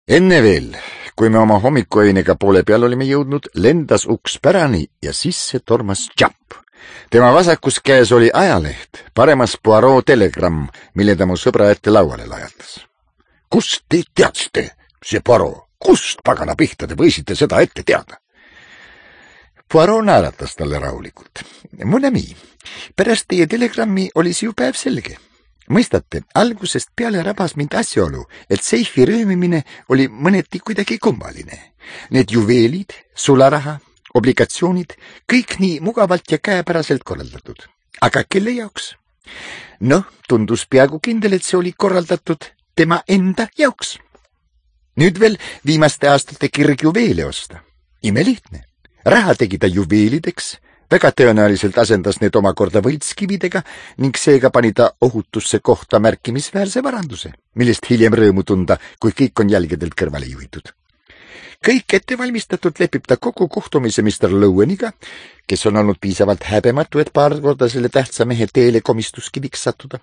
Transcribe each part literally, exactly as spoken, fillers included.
Enne veel, kui me oma hommikuöinega poole peal olime jõudnud, lendas uks pärani ja sisse tormas Japp. Tema vasakus käes oli ajaleht, paremas Poirot telegramm, mille ta mu sõbra ette lauale lajatas. Kust te teadsite, see Poirot? Kust pagana pihta te võisite seda ette teada? Poirot naeratas talle rahulikult. Mon ami, pärast teie telegrammi oli see ju päev selge. Mõistate, algusest peale rabas mind asjaolu, et seifi röömimine oli mõneti kuidagi kummaline. Need juveelid, sularaha, obligatsioonid, kõik nii mugavalt ja käepäraselt korraldatud. Aga kelle jaoks? Noh, tundus peaaegu kindel, et see oli korraldatud tema enda jaoks. Nüüd veel viimaste aastate kirg juveele osta. Imelihtne. Raha tegi ta juveelideks, väga tõenäoliselt asendas need omakorda võltskividega ning seega pani ta ohutusse kohta märkimisväärse varanduse, millest hiljem rõõmu tunda, kui kõik on jälgedelt kõrvale juhitud. Kõik ettevalmistatult lepib ta kogu kohtumise mister Loweniga, kes on olnud piisavalt häbematu, et paar korda selle tähtsa mehe teele komistuskiviks sattuda,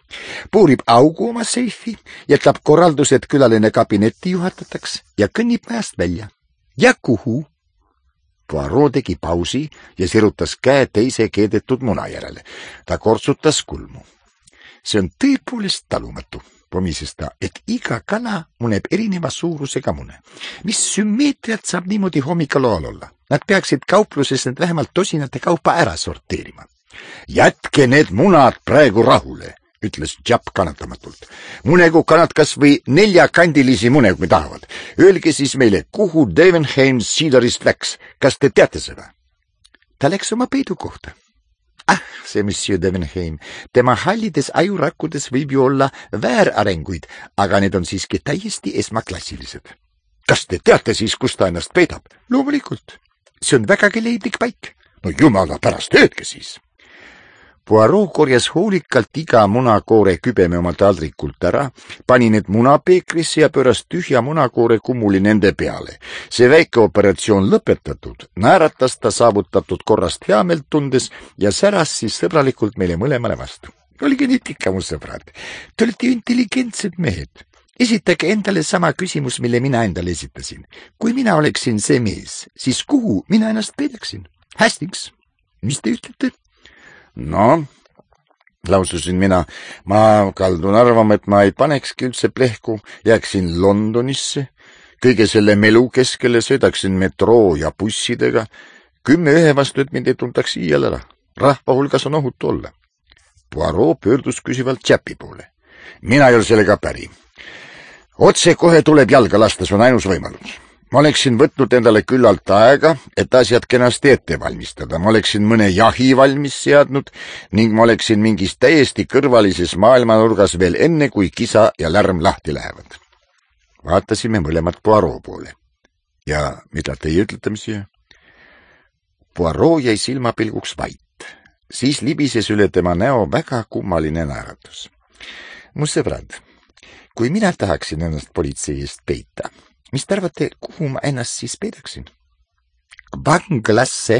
puurib augu oma seifi, jätab korraldused külaline kabinetti juhatataks ja kõnnib majast välja. Ja kuhu? Poirot tegi pausi ja sirutas käe teise keedetud muna järele. Ta kortsutas kulmu. See on tõepoolest talumatu, pomises ta, et iga kana muneb erineva suurusega mune. Mis sümmeetriat saab niimoodi hommikaloal olla? Nad peaksid kaupluses need vähemalt tosinate kaupa ära sorteerima. Jätke need munad praegu rahule, ütles Japp kannatamatult. Munegu kanad kas või neljakandilisi mune, kui tahavad. Öelge siis meile, kuhu Devenheim Cedarist läks. Kas te teate seda? Ta läks oma peidu kohta. Ah, see monsieur Devenheim. Tema hallides ajurakkudes võib ju olla väärarenguid, aga need on siiski täiesti esmaklassilised. Kas te teate siis, kus ta ennast peidab? Loomulikult. See on vägagi leidlik paik. No jumala pärast, öelge siis. Poirot korjas hoolikalt iga munakoore kübeme oma taldrikult ära, pani need munapeekrisse ja pööras tühja munakoore kummuli nende peale. See väike operatsioon lõpetatud, naeratas ta saavutatud korrast heameelt tundes ja säras siis sõbralikult meile mõlemale vastu. Olge nüüd ikka, mu sõbrad, te olete intelligentsed mehed. Esitage endale sama küsimus, mille mina endale esitasin. Kui mina oleksin see mees, siis kuhu mina ennast peidaksin? Hastings, mis te ütlete? No, laususin mina, ma kaldun arvama, et ma ei panekski üldse plehku, jääksin Londonisse, kõige selle melu keskele sõidaksin metroo ja bussidega, kümme ühe vastu, et mind ei tuntaks iial ära. Rahva hulgas on ohutu olla. Poirot pöördus küsivalt Jappi poole. Mina ei ole sellega päri. Otse kohe tuleb jalga lasta, see on ainus võimalus. Ma oleksin võtnud endale küllalt aega, et asjad kenasti ette valmistada. Ma oleksin mõne jahi valmis seadnud ning ma oleksin mingis täiesti kõrvalises maailmanurgas veel enne, kui kisa ja lärm lahti lähevad. Vaatasime mõlemad Poirot poole. Ja mida teie ütlete, monsieur? Poirot jäi silmapilguks vait. Siis libises üle tema näo väga kummaline naeratus. Mu sõbrad, kui mina tahaksin ennast politsei eest peita, mis te arvate, kuhu ma ennast siis peidaksin? Vanglasse.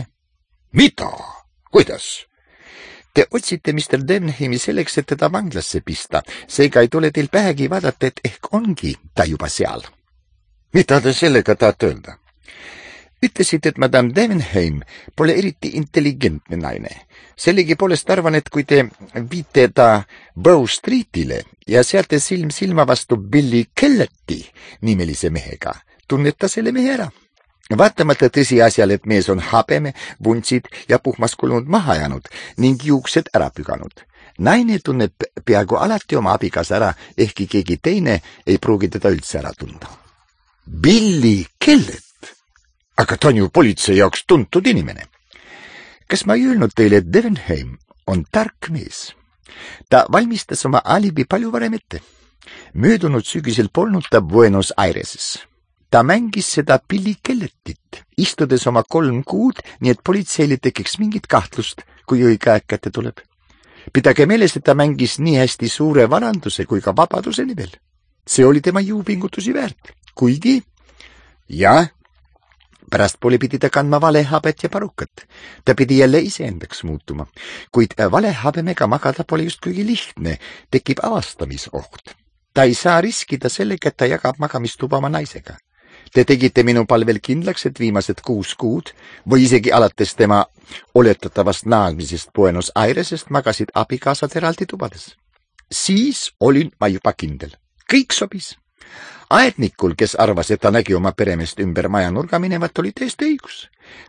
Mida? Kuidas? Te otsite mister Devenheimi selleks, et teda vanglasse pista. Seega ei tule teil pähegi vaadata, et ehk ongi ta juba seal. Mida te sellega tahate öelda? Ütlesid, et madame Devenheim pole eriti intelligentne naine. Sellegi poolest arvan, et kui te viite ta Bow Streetile ja seate silm silma vastu Billy Kelleti nimelise mehega, tunned ta selle mehe ära. Vaatamata tõsiasjal, et mees on habeme, vuntsid ja puhmas kulunud maha jäänud ning juuksed ära püganud. Naine tunneb peaaegu alati oma abigas ära, ehkki keegi teine ei pruugi teda üldse ära tunda. Billy Kellet? Aga ta on ju politsei jaoks tuntud inimene. Kas ma ei öelnud teile, et Devenheim on tark mees? Ta valmistas oma alibi palju varem ette. Möödunud sügisel polnud ta Buenos Aireses. Ta mängis seda Billy Kelletit, istudes oma kolm kuud, nii et politseile tekiks mingit kahtlust, kui õige aeg kätte tuleb. Pidage meeles, et ta mängis nii hästi suure varanduse kui ka vabaduse nimel. See oli tema jõupingutusi väärt, kuigi jah, pärastpoole pidi ta kandma valehabet ja parukat. Ta pidi jälle iseendaks muutuma, kuid valehabemega magada pole just kuigi lihtne, tekib avastamisoht. Ta ei saa riskida sellega, et ta jagab magamistuba oma naisega. Te tegite minu palvel kindlaks, et viimased kuus kuud või isegi alates tema oletatavast naasmisest Buenos Airesest magasid abikaasad eraldi tubades. Siis olin ma juba kindel. Kõik sobis. Aednikul, kes arvas, et ta nägi oma peremeest ümber maja nurga minevat, oli täiesti õigus.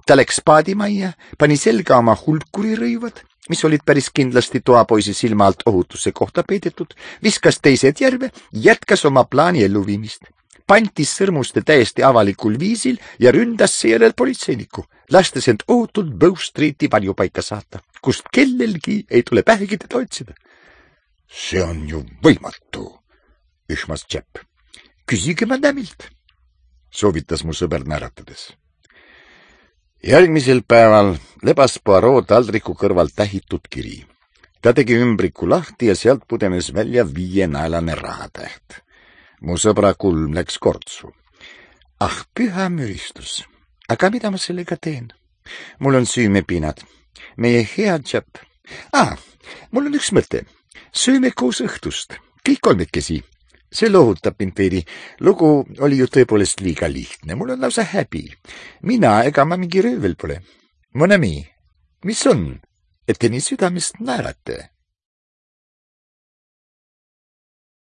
Ta läks paadimajja, pani selga oma hulkurirõivad, mis olid päris kindlasti toapoisi silma alt ohutuse kohta peidetud, viskas teised järve, jätkas oma plaani elluviimist. Pantis sõrmuste täiesti avalikul viisil ja ründas seejärel politseinikku, lastes end ohutult Bow Streeti varjupaika saata, kust kellelgi ei tule pähegi teda otsida. See on ju võimatu, ühmas Jepp. Küsige madamilt, soovitas mu sõber näratades. Järgmisel päeval lebas Poirot taldriku kõrval tähitud kiri. Ta tegi ümbriku lahti ja sealt pudenes välja viienaelane rahatäht. Mu sõbra kulm läks kortsu. Ah, püha müristus. Aga mida ma sellega teen? Mul on süümepinad. Meie hea Jepp. Ah, mul on üks mõte. Sööme koos õhtust. Kõik kolmekesi. See lohutab mind veidi. Lugu oli ju tõepoolest liiga lihtne. Mul on lausa häbi. Mina ega ma mingi röövel pole. Mon ami, mis on, et te nii südamest naerate?